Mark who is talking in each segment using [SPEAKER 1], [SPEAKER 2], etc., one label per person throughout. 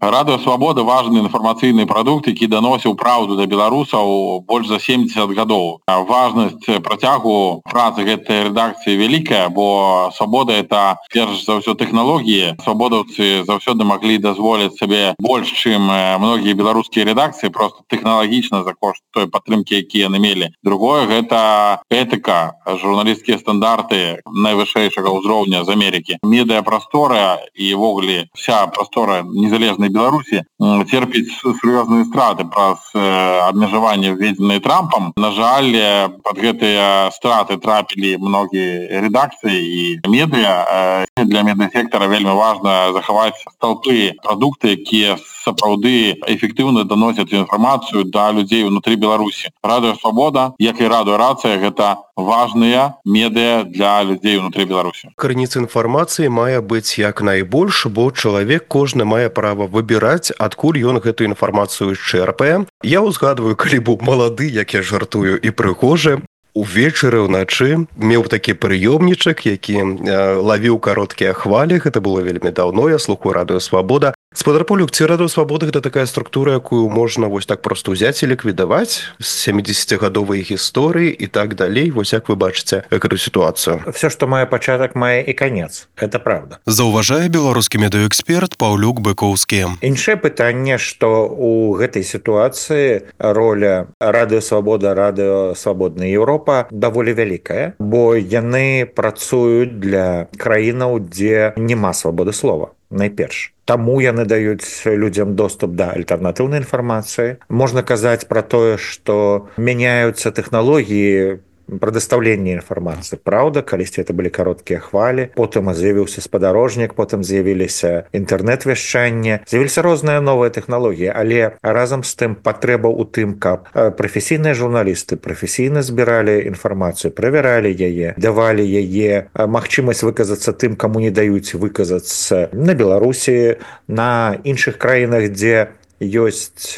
[SPEAKER 1] Радыё Свабода важны інфармацыйны прадукт, які даносіў праўду да беларусаў больш за 70 гадоў. Важнасць працягу працы гэтай рэдакцыі вялікая, бо свабода это перш за ўсё тэхналогіі. Свабодаўцы заўсёды маглі дазволіць сабе больш, чым многія беларускія рэдакцыі, просто тэхналагічна за кошт той падтрымкі, якія яны мелі. Другое гэта этыка, журналісцкія стандарты найвышэйшага ўзроўня з Амерыкі. Медыапрастора і ўвогуле вся прастора незалежнай Беларусі церпіць сур'ёзныя страты праз абмежаванне введзеныя Трампам. На жаль, пад гэтыя страты трапілі многія рэдакцыі і медыа. Для медыасектара вельмі важна захаваць сталпы прадукты, якія сапраўды эфектыўна даносяць інфармацыю да людзей унутры Беларусі. Радыё Свабода, як і Радыё Рацыя, гэта важныя медыа для людзей унутры Беларусі.
[SPEAKER 2] Крыніца інфармацыі мае быць як найбольш, бо чалавек кожны мае права выбіраць, адкуль ён гэтую інфармацыю чэрпае. Я ўзгадваю, калі быў малады, як я жартую, і прыгожы, увечары ўначы меў такі прыёмнічак, які лавіў кароткія хвалі. Гэта было вельмі даўно, я слухаю Радыё Свабода. Спадар Павлюк, ці Радыё Свабода гэта такая структура, якую можна вось так проста ўзяць і ліквідаваць з 70-гадовай гісторыі і так далей? Вось як вы бачыце гэту сітуацыю?
[SPEAKER 3] Все, што мае пачатак, мае і канец. Это правда.
[SPEAKER 4] Заўважае беларускі медыаэксперт Паўлюк Быкоўскі.
[SPEAKER 3] Іншае пытанне, што ў гэтай сітуацыі роля Радыё Свабода, Радыё Свабодная Еўропа даволі вялікая, бо яны працуюць для краінаў, дзе няма свабоды слова. Найперш. Таму яны даюць людзям доступ да альтэрнатыўнай інфармацыі. Можна казаць пра тое, што мяняюцца тэхналогіі прадастаўлення інфармацыі. Праўда, калісьці это былі кароткія хвалі, потым з'явіўся спадарожнік, потым з'явіліся інтэрнэт-вяшчанне, з'явіліся розныя новыя тэхналогіі, але разам з тым патрэба ў тым, каб прафесійныя журналісты прафесійна збіралі інфармацыю, правяралі яе, давалі яе магчымасць выказацца тым, каму не даюць выказацца на Беларусі, на іншых краінах, дзе ёсць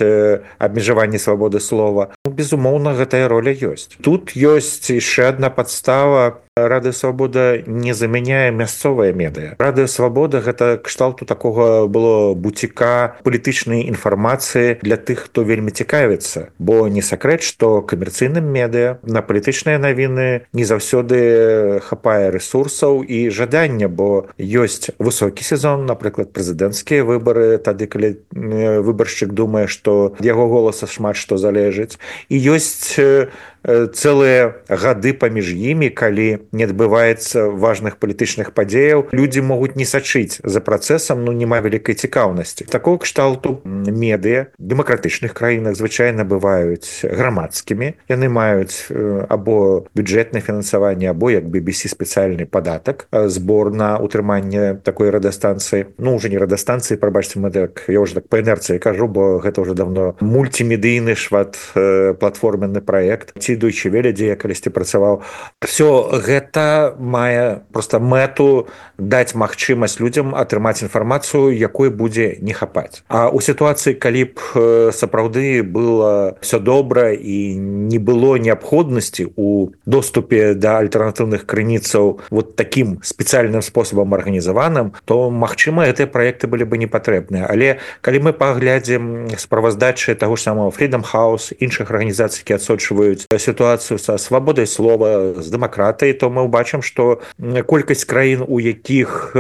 [SPEAKER 3] абмежаванне свабоды слова. Безумоўна, гэтая роля ёсць. Тут ёсць яшчэ адна падстава. Радыё Свабода не замяняе мясцовыя медыа. Радыё Свабода гэта кшталту такога было буціка палітычнай інфармацыі для тых, хто вельмі цікавіцца. Бо не сакрэт, што камерцыйным медыа на палітычныя навіны не заўсёды хапае рэсурсаў і жадання, бо ёсць высокі сезон, напрыклад, прэзідэнцкія выбары, тады, калі выбаршчык думае, што ад яго голаса шмат што залежыць. І ёсць цэлыя гады паміж імі, калі не адбываецца важных палітычных падзеяў, людзі могуць не сачыць за працэсам, няма вялікай цікаўнасці. Такого кшталту медыа в дэмакратычных краінах звычайна бываюць грамадскімі. Яны маюць або бюджэтнае фінансаванне, або, як BBC, спецыяльны падатак, збор на утрыманне такой радыёстанцыі. Уже не радыёстанцыі, прабачце, я ўжо так па інерцыі кажу, бо гэта ўжо давно мультимедыйны шматплатформенны праект. Deutsche Welle, дзе я калісьці працаваў. Все гэта мае проста мэту даць магчымасць людзям атрымаць інфармацыю, якой будзе не хапаць. А ў сітуацыі, калі б сапраўды было все добра і не было неабходнасці ў доступе да альтэрнатыўных крыніцаў вот такім спецыяльным спосабам арганізаваным, то, магчыма, гэтыя праекты былі бы не патрэбныя. Але калі мы паглядзім справаздачы таго ж самого Freedom House, іншых арганізацый, які адсочваюць сітуацыю са свабодай слова, з дэмакратыяй, то мы ўбачым, што колькасць краін, у якіх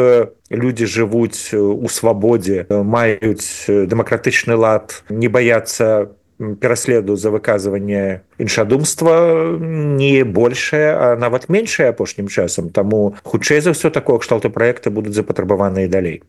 [SPEAKER 3] людзі жывуць у свабодзе, маюць дэмакратычны лад, не баяцца пераследу за выказванне іншадумства, не большае, а нават меншае апошнім часам. Таму хутчэй за ўсё такого кшталту праекты будуць запатрабаваныя далей.